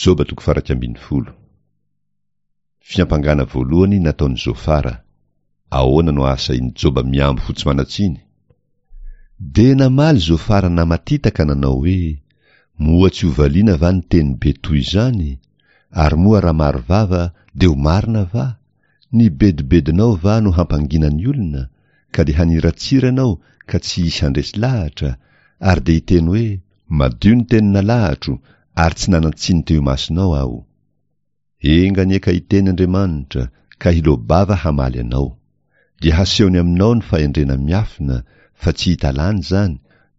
Joba toko faha 11. Fiampangana voalohany nataon'i Zofara. Ahoana no ahasahian'i Joba mihambo ho tsy manan-tsiny? Dia namaly Zofara namatita ka nanao hoe, Moa tsy ho valiana va ny teny be toy izany? Ary moa raha maro vava dia ho marina va? Ny bedibedinao va no hampangina ny olona, ka dia haniratsira ianao ka tsy hisy handresy lahatra, ary dia hiteny hoe, Madio ny teny nalahatro, ary tsy nanan-tsiny teo imasonao aho. Enga anie ka hiteny Andriamanitra, ka hiloa-bava hamaly anao. Dia hasehony aminao ny fahendrena miafina, fa tsy hita lany izany,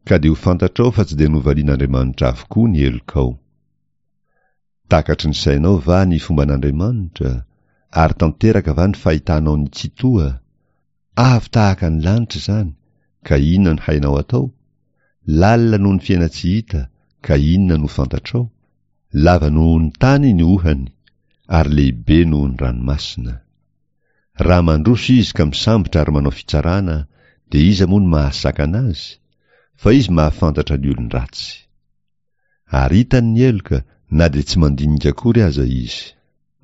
ka dia ho fantatrao fa tsy dia novalian'Andriamanitra avokoa ny helokao. Takatry ny sainao va ny fomban'Andriamanitra, ary tanteraka va ny fahitanao ny Tsitoha? Avo tahaka ny lanitra izany, ka inona no hainao atao? Lalina noho ny fiaina-tsy hita, ka inona no fantatrao? Lava noho ny tany ny ohany, ary lehibe noho ny ranomasina. Raha mandroso izy ka misambotra ary manao fitsarana, dia iza moa no mahasakana azy? Fa izy mahafantatra ny olon-dratsy. Ary hitany ny heloka na dia tsy mandinika akory aza izy.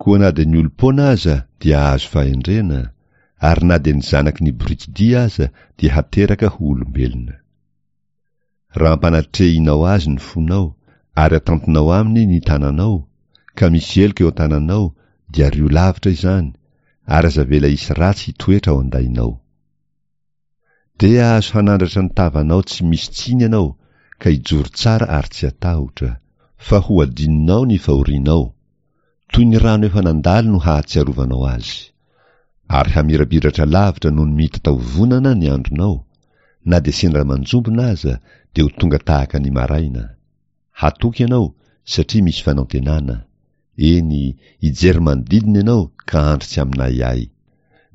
Koa na dia ny olom-poana aza dia hahazo fahendrena, ary na dia ny zanaky ny borikidia aza dia hateraka ho olombelona. Raha ampanatrehinao azy ny fonao, ary atantinao aminy ny tananao, ka misy heloka eo an-tananao, dia ario lavitra izany, ary aza avela hisy ratsy hitoetra ao an-dainao. Dia hahazo hanandratra ny tavanao tsy misy tsiny ianao, ka hijoro tsara ary tsy hatahotra, fa ho adinonao ny fahorianao. Toy ny rano efa nandalo no hahatsiarovanao azy. Ary hamirapiratra lavitra noho ny mitataovonana ny andronao, na dia sendra manjombona aza dia ho tonga tahaka ny maraina. Hatoky ianao satria misy fanantenana. Eny, hijery manodidina ianao ka handry tsy amin'ahiahy.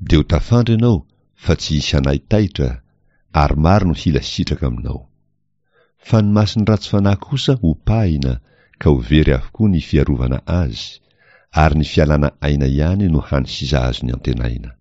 Dia ho tafandry ianao fa tsy hisy hanaitaitra, ary maro no hila sitraka aminao. Fa ny mason'ny ratsy fanahy kosa hopahina ka ho very avokoa ny fiarovana azy, ary ny fialana aina ihany no hany sisa azony antenaina.